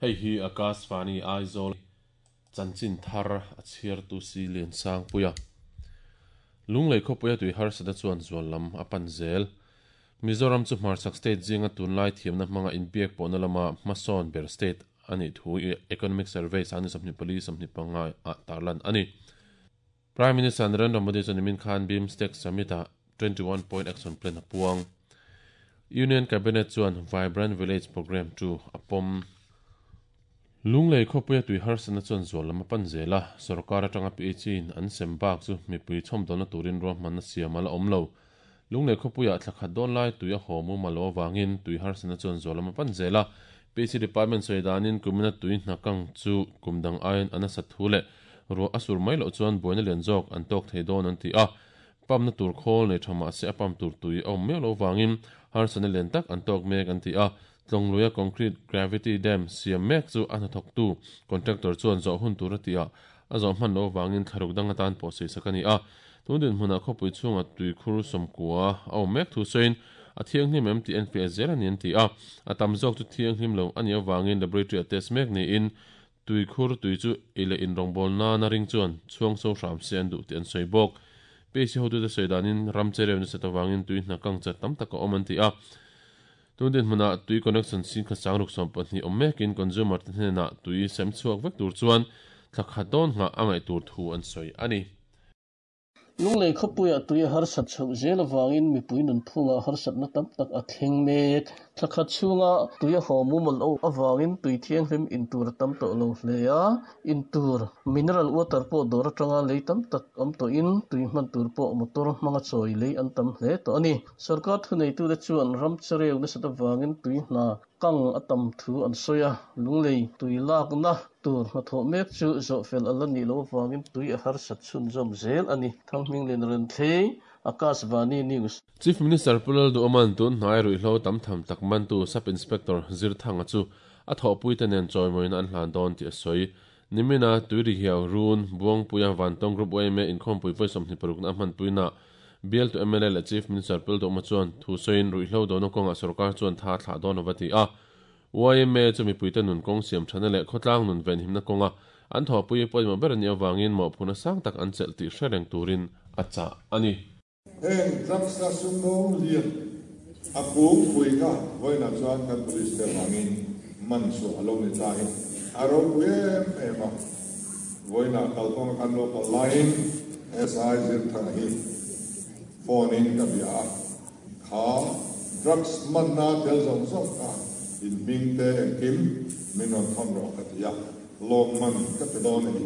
Hei hi Akashvani Aizawl chanchin thar a chhiartu si Liansangpuia. Lunglei khawpuia tui harsatna chuan zual lam a pan zel. Mizoram chu hmarchhak state zinga tunlai thiamna hmanga inbiak pawhna lama hmasawn ber state a nih thu Economic Survey sangni 24 25 ah tarlan a ni. Prime Minister Narendra Modi chuan nimin khan BIMSTEC Summit ah 21 Point Action Plan a puang. Union Cabinet chuan Vibrant Village Programme chu a pawm. Lunglei khawpuia tui harsatna chuan zual lam a pan zel a, sorkar atanga PHE in an sem bak chu mipui chhawmdawlna turin ruahmanna siam a la awm lo. Lunglei khawpuiah thla khat dawn lai tui a haw mumal lo avangin tui harsatna chuan zual lam a pan zel a, PHE Department sawi danin kumina tui hna kang chu kum dang aiin a nasat thu leh ruah a sur mai loh chuan buaina lian zawk an tawk thei dawn an ti a, pump na tur khawl nei tha mahse a pump tur tui a awm miau lo avangin harsatna lian tak an tawk mek an ti a. Tlawngluia concrete gravity dam siam mek chu a hnathawktu contractor chuan zawh hun tur a ti a, a zawh hman loh avangin thlaruk dang atan pawh sawisak a ni a. Tun dinhmunah khawpui chhunga tuikhur sawmkua a awm mek thu sawiin a thianghlim em tih an fiah zel a ni an ti a, a tam zawk chu thianghlim lo a nih avangin laboratory a test mek niin tuikhur tui chu ei leh inrawngbawlna nana ring chuan chhuang so hram se an duh tih an sawi bawk. PAC hotute sawi danin ram chereu nasat avangin tui hna kang chat tam tak a awm an ti a. Tun dinhmunah tui connection sin kha sangruk 12 awm mekin consumer te hnenah tui sem chhuak vek tur chuan thla khat dawn nghah a ngaih tur thu an sawi a ni. Lunglei khawpuiah tui a harsat chhoh zel avangin mipui nunphungah harsatna tam tak a thleng mek. Thla khat chhunga tui a haw mumal o avangin tui thianghlim in tur a tam tawh lo hle a, in tur mineral water pawh dawr atanga lei tam tak awm tawhin tui hman tur pawh motor hmanga chawi lei an tam hle tawh a ni. Sorkar thuneitute chuan ram chereu nasat avangin tui hna kang a tam thu an sawi a, Lunglei tui lakna tur hnathawh mek chu zawhfel a la nih loh avangin tui a harsat chhunzawm zel a ni. Thanghminglin Renthlei, Akashvani News. Chief Minister Pu Lalduhawma'n tun hnai ruihhlo tam tham tak mantu Sub Inspector Zirthanga chu a thawhpuite nen chawimawina an hlan dawn tih a sawi. Nimina Tuirihiau Run, Buangpuia Vantawng Group yma inkhawmpui vawi 26 na a hmanpuinaah Bialtu mla leh Chief Minister Pu Lalduhawma chuan thu sawiin ruihhlo dona kawngah sorkar chuan tha thlah dawn lova ti a. Yma chu mipuite nun kawng siam thana leh khawtlang nun venhimna kawnga an thawhpui pawimawh ber a nih avangin mawhphurhna sang tak an chelh tih hre reng turin a chah a ni. Heng drugs a sumdawng lian a kungpui kha vawiinah chuan kan police te avangin man chhuah a lo ni ta hi a ropui em em a. Vawiinah kalkawnga kan lo kal laiin SI Zirthanga hi phone in ka bia a, kha drugs manna tel zawng zawng kha in hming te engkim min rawn thawn rawh ka ti a, lawmman ka pe dawn a ni.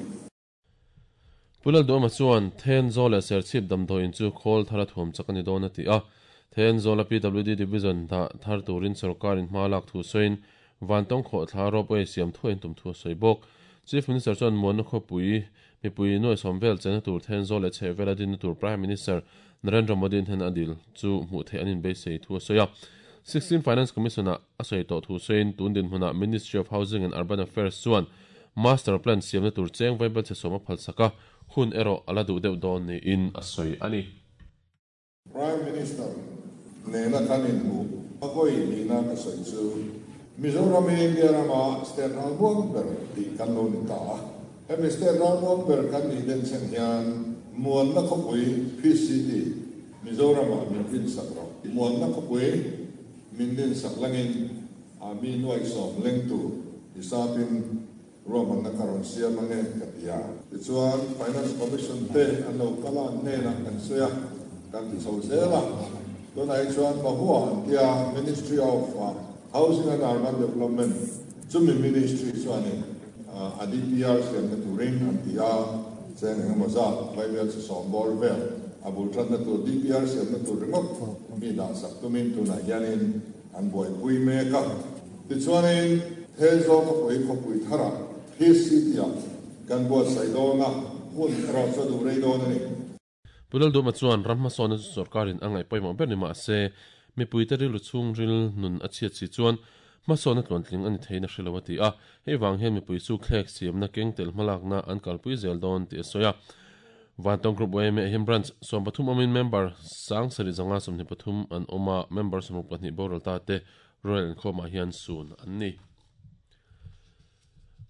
Pu Lalduhawma chuan Thenzawl leh Serchhip damdawiin chu khawl thar a thuam chak a ni dawn a ti a. Thenzawla PWD Division dah thar turin sorkarin hma lak thu sawiin Vantawng khawhthla ropeway siam thuai an tum thu a sawi bawk. Chief Minister chuan Muanna khawpui mipui nuai sawm vel chenna tur Thenzawl leh chhehvela dinna tur Prime Minister Narendra Modi hnen a dil chu hmuh theih an inbeisei thu a sawi a. Sixteen Finance Commission-ah a sawi tawh thu sawiin tun dinhmunah Ministry of Housing and Urban Affairs chuan Master Plan siamna tur cheng vaibel chhe sawm a phalsak a, hun erawh a la duh deuh dawn niin a sawi a ni. Prime Minister nena kan inhmuh a vawi nihna ka sawi chu Mizoram hi India rama state ralmuang ber tih kan lo ni ta a. Hemi state ralmuang ber kan nih denchhen hian Muanna khawpui, Peace City, Mizoramah min rinsak rawh. Muanna khawpui min rinsak langin a mi nuaih sawm leng tur i sapin ruahmanna ka rawn siam ange ka ti a. Tichuan Finance Commission te an lo kal a, an hnenah kan sawi a, kan ti chho zel a. Tunah hi chuan Mahua an tia Ministry of Housing and Urban Development chumi Ministry chuanin a DPR siamna turin an ti a, cheng engemaw zat vaibel chi sawm bawr vel a bul tanna tur DPR siamna tur ringawt mi dahsak tumin tunah hianin an buaipui mek a. Tichuanin Thenzawl khawpui khawpui tharah Peace City-ah kan buatsaih dawn a, hun erawh chu a duh rei dawn a ni. Pu Lalduhma chuan ram hmasawnna chu sorkarin a ngaih pawimawh ber ni mah se, mipuite rilru chhungril nun a chhiat si chuan hmasawnna tluantling a ni theiin a hre lo a ti a, hei vang hian mipui chu thlek siamna keng tel hmalakna an kalpui zel dawn tih a sawi a. Vantawng Group yma hian Branch 13 awmin member 7523 an awm a, member 62 boral ta te Royal inkhawmah hian sun an ni.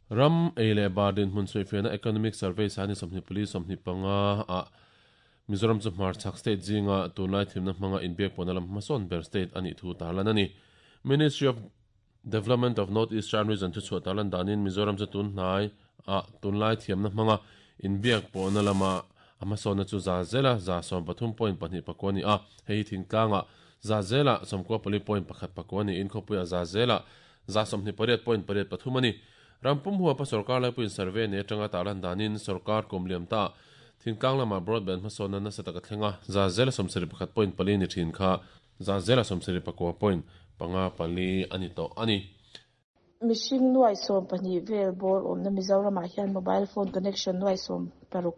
Ram ei leh bar dinhmun sawifiahna Economic Survey sani 24 25 ah Mizoram chu hmarchhak state zinga tunlai thimna hmanga inbiak pawhna lam hmasawn ber state a nih thu tarlan a ni. Ministry of Development of North Eastern Region thuchhuah tarlan danin Mizoram chu tun hnai ah tunlai thiamna hmanga inbiak pawhna lama a hmasawnna chu za zela 13.2 pakua a ni a, hei hi thingtlangah za zela 94.1 pakua niin khawpuiah za zela 28.83 a ni. Ram pum huapa sorkar laipuiin survey nei atanga tarlan danin sorkar kum liam ta thingtlang lamah broadband hmasawnna nasa taka thleng a, za zela 71.4 ni thin kha za zela 79.54 a ni tawh a ni. Mihring nuai 12 vel bawr awmna Mizoramah hian mobile phone connection nuai 16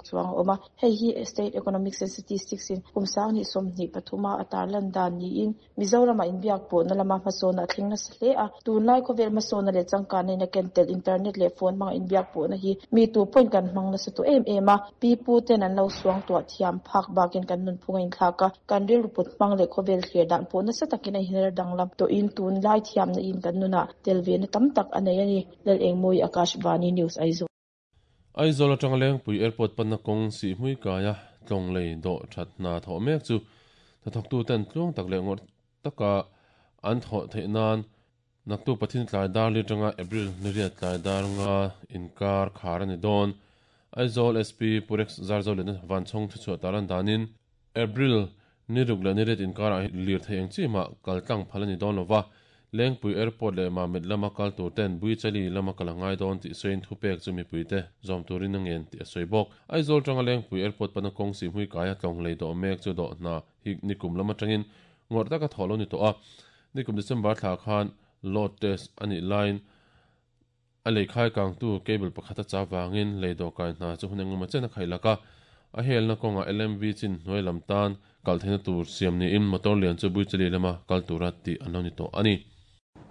chuang a awm a. Hei hi State Economics and Statistics in kum 2023 a tarlan dan niin Mizoramah inbiak pawhna lama hmasawnna a thleng nasa hle a. Tunlai khawvel hmasawnna leh changkanna in a ken tel internet leh phone hmanga inbiak pawhna hi mi tu pawhin kan hmang nasa tawh em em a. Pi pu ten an lo suang tuah thiam phak bakin kan nunphung a inthlak a, kan rilru put hmang leh khawvel thlir dan pawh nasa takin a inher danglam tawhin tunlai thiamna in kan nunah tel ve na tam tak a nei a ni. Lalengmawi Akashvani News Aizawl. Aizawl atanga Lengpui Airport panna kawng Sihhmui kaia tlawng lei dawh that hna thawh mek chu hnathawktu ten tluang tak leh ngawrh taka an thawh theih nan naktu Pathian tlai dar li atanga April ni riat tlai dar nga inkar khar a ni dawn. Aizawl SP Purex Zarzoliana Vanchhawng thuchhuah tarlan danin April ni ruk leh ni riat inkarah hi lirthei eng chi mah kal tlang phal a ni dawn lova, Lengpui Airport leh Mamit lama kal tur ten Buichali lama kal a ngai dawn tih sawiin thupek chu mipuite zawm turin a ngen tih a sawi bawk. Aizawl tanga Lengpui Airport pana kawng Sihhmui kaia tlawng lei dawh mek chu dawh hna hi nikum lam atangin ngawrh taka thawh lo ni tawh a, nikum December thla khan load test a nih laiin A leikhai kangtu cable pakhat a chah vangin lei dawhkai hna chu hun engemaw chen a khaih lak a, a helna kawngah LMV chin hnuai lam tan kal theihna tur siam niin motor lian chu Buichali lama kal tura tih an lo ni tawh a ni.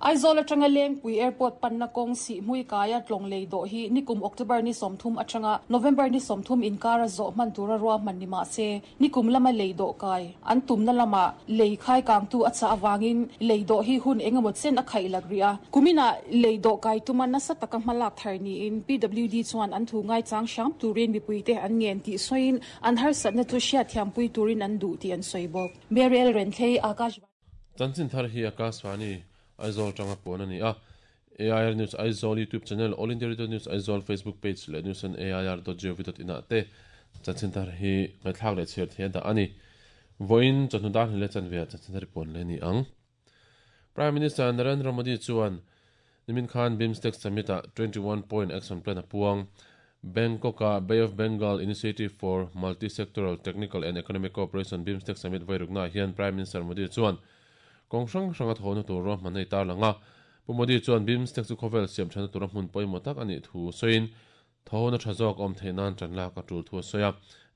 Aizawl atanga Lengpui Airport panna kawng Sihhmui kaia tlawng lei dawh hi nikum October ni 30 atanga November ni 30 inkara zawh hman tura ruahman ni mah se, Nikum lama lei dawh kai an tumna lamah lei khai kangtu a chah avangin lei dawh hi hun eng emaw chen a khaih lak rih a. Kuminah lei dawh kai tuma nasa taka hma lak thar niin PWD chuan an thu ngaichang hram turin mipuite an ngen tih sawiin an harsatna chu hriatthiampui turin an duh tih an sawi bawk. Meriel Renthlei, Akashvani. Chanchin thar hi Akashvani Aizawl tanga puan a ni a. AIR News Aizawl YouTube channel, All India Radio News Aizawl Facebook page leh news on air dot gov dot in ah te chanchin thar hi ngaihthlak leh chhiar thei a dah a ni. Vawiin chawhnu dar hnih leh chanve ah chanchin thar hi puan leh a ni ang. Prime Minister Narendra Modi chuan Nimin khan BIMSTEC Summit ah 21 Point Action Plan a puang. Bangkok-a Bay of Bengal Initiative for Multi-Sectoral Technical and Economic Cooperation BIMSTEC Summit vairuknaah hian Prime Minister Modi chuan kawng hrang hranga thawhna tur ruahman a itarlang a. Pu Modi chuan BIMSTEC chu khawvel siam thatna tura hmun pawimawh tak a nih thu sawiin thawhna tha zawk a awm theih nan tan lak a tul thu a sawi a.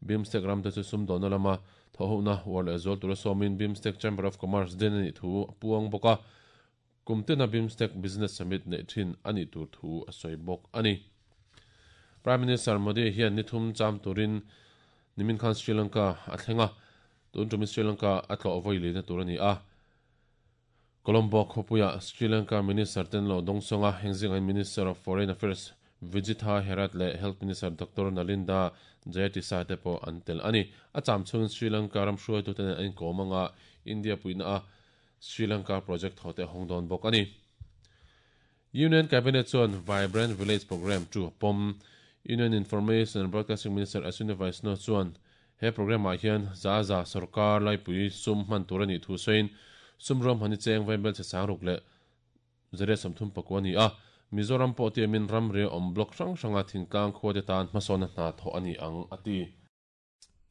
BIMSTEC ramte chu sumdawnna lama thawhhohna uar leh zual tura sawmin BIMSTEC Chamber of Commerce din a nih thu a puang bawk a. Kum tena BIMSTEC Business Summit neih thin a nih tur thu a sawi bawk a ni. Prime Minister Modi hian ni thum cham turin nimin khan Sri Lanka a thleng a, tun tumin Sri Lanka a tlawh vawi lehna tur a ni a. Colombo khawpuiah Sri Lanka Minister ten lo dawngsawng a, heng zingah hian Minister of Foreign Affairs Vijitha Herath leh Health Minister Doctor Nalinda Jayatissa te pawh an tel a ni. A cham chhungin Sri Lanka ram hruaitute nen an inkawm anga India puihna a Sri Lanka project thaw te a hawng dawn bawk a ni. Union Cabinet chuan Vibrant Village Programme chu a pawm. Union Information and Broadcasting Minister Ashwini Vaishnaw chuan he programme ah hian za za sorkar laipui sum hman tur a nih thu sawiin sum ruahman hi cheng vaibel che sang ruk leh zariat 34 a ni a, Mizoram pawh tiamin ramri awm block hrang hranga thingtlang khua te tan hmasawnna hna thawh a ni ang a ti.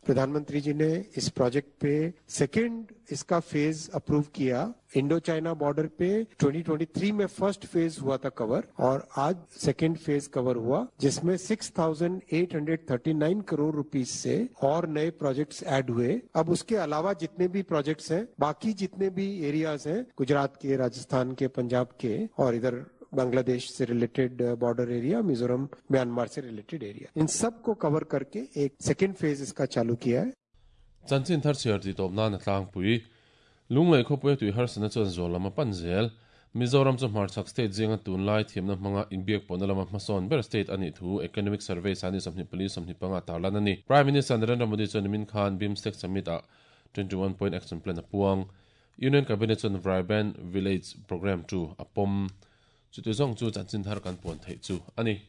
प्रधानमंत्री जी ने इस प्रोजेक्ट पे सेकंड इसका phase approve किया। Indo China border पे 2023 में first phase हुआ था कवर और आज second phase cover हुआ, जिसमें 6,839 करोड़ रुपीस से और नए प्रोजेक्ट्स ऐड हुए। अब उसके अलावा जितने भी प्रोजेक्ट्स हैं, बाकी जितने भी एरियाज हैं गुजरात के, राजस्थान के, पंजाब के और इधर Bangladesh से related border area, Mizoram Myanmar से रिलेटेड एरिया, इन सब को कवर करके एक सेकेंड फेज इसका चालू किया है। Chanchin thar chhiar ti tawp nan a tlangpui. Lunglei khawpuia tui harsatna chuan zual lam a pan zel. Mizoram chu hmarchhak state zinga tunlai thiamna hmanga inbiak pawhna lama hmasawn ber state a nih thu Economic Survey sani 24 25 a tarlan a ni. Prime Minister Narendra Modi chuan nimin khan BIMSTEC Summit ah 21 point action plan a puang. Union Cabinet chuan Vibrant Village Programme chu a pawm. Chuti zawng chu chanchin thar kan puan theih chu a ni.